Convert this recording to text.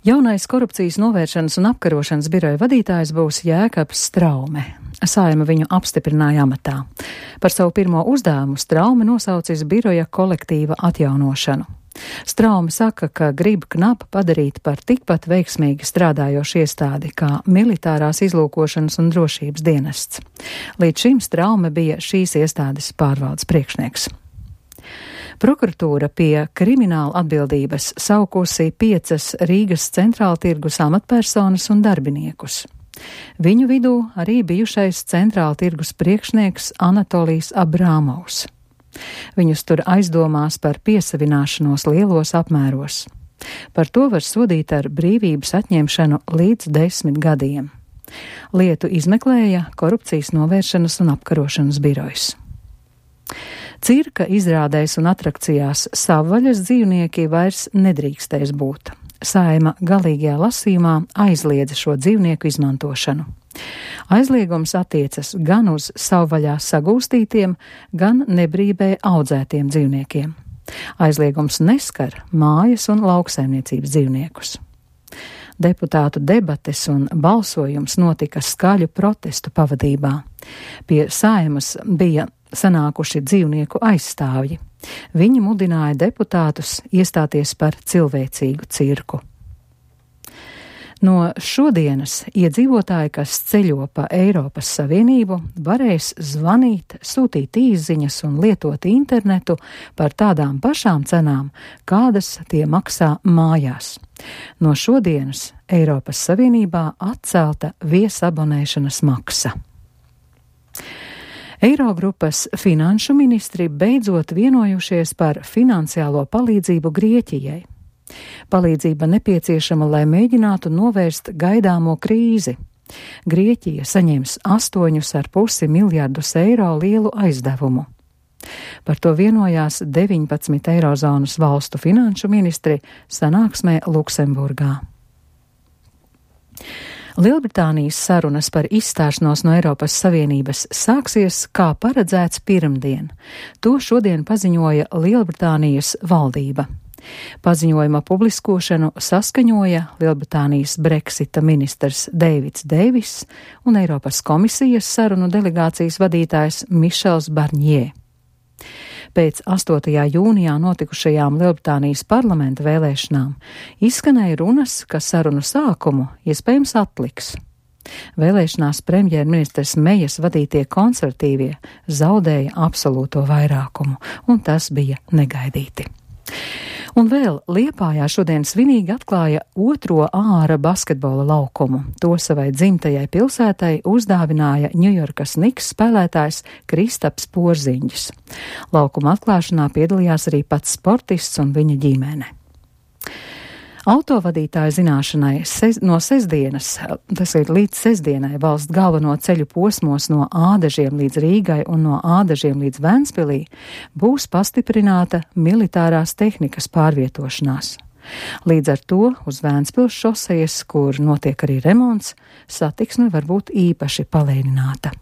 Jaunais korupcijas novēršanas un apkarošanas biroja vadītājs būs Jēkabs Straume. Saeima viņu apstiprināja amatā. Par savu pirmo uzdevumu Straume nosaucis biroja kolektīva atjaunošanu. Straume saka, ka grib KNAP padarīt par tikpat veiksmīgi strādājošu iestādi kā militārās izlūkošanas un drošības dienests. Līdz šim Straume bija šīs iestādes pārvaldes priekšnieks. Prokuratūra pie krimināla atbildības saukusi 5 Rīgas centrāla tirgus amatpersonas un darbiniekus. Viņu vidū arī bijušais centrāla tirgus priekšnieks Anatolijs Abrāmovs. Viņus tur aizdomās par piesavināšanos lielos apmēros. Par to var sodīt ar brīvības atņemšanu līdz 10 gadiem. Lietu izmeklēja Korupcijas novēršanas un apkarošanas birojs. Cirka izrādēs un atrakcijās savvaļas dzīvnieki vairs nedrīkstēs būt. Saeima galīgajā lasījumā aizliedza šo dzīvnieku izmantošanu. Aizliegums attiecas gan uz savvaļā sagūstītiem, gan nebrīvē audzētiem dzīvniekiem. Aizliegums neskar mājas un lauksaimniecības dzīvniekus. Deputātu debates un balsojums notika skaļu protestu pavadībā. Pie Saeimas bija sanākuši dzīvnieku aizstāvji. Viņi mudināja deputātus iestāties par cilvēcīgu cirku. No šodienas iedzīvotāji, kas ceļo pa Eiropas Savienību, varēs zvanīt, sūtīt īsziņas un lietot internetu par tādām pašām cenām, kādas tie maksā mājās. No šodienas Eiropas Savienībā atcelta viesabonēšanas maksa. Eirogrupas finanšu ministri beidzot vienojušies par finansiālo palīdzību Grieķijai. Palīdzība nepieciešama, lai mēģinātu novērst gaidāmo krīzi. Grieķija saņems 8,5 miljardus eiro lielu aizdevumu. Par to vienojās 19 eirozonas valstu finanšu ministri sanāksmē Luksemburgā. Lielbritānijas sarunas par izstāšanos no Eiropas Savienības sāksies kā paredzēts pirmdien. To šodien paziņoja Lielbritānijas valdība. Paziņojuma publiskošanu saskaņoja Lielbritānijas Brexita ministrs Deivids Deivis un Eiropas komisijas sarunu delegācijas vadītājs Mišels Barņē. Pēc 8. jūnijā notikušajām Lielbritānijas parlamenta vēlēšanām izskanēja runas, ka sarunu sākumu iespējams atliks. Vēlēšanās premjerministrs Mejas vadītie konservatīvie zaudēja absolūto vairākumu, un tas bija negaidīti. Un vēl Liepājā šodien svinīgi atklāja 2. āra basketbola laukumu. To savai dzimtajai pilsētai uzdāvināja Ņujorkas Knicks spēlētājs Kristaps Porziņģis. Laukuma atklāšanā piedalījās arī pats sportists un viņa ģimene. Autovadītāja zināšanai no sestdienas, tas ir līdz sestdienai, valsts galveno ceļu posmos no Ādažiem līdz Rīgai un no Ādažiem līdz Ventspilī būs pastiprināta militārās tehnikas pārvietošanās. Līdz ar to uz Ventspils šosejas, kur notiek arī remonts, satiksme var būt īpaši palēnināta.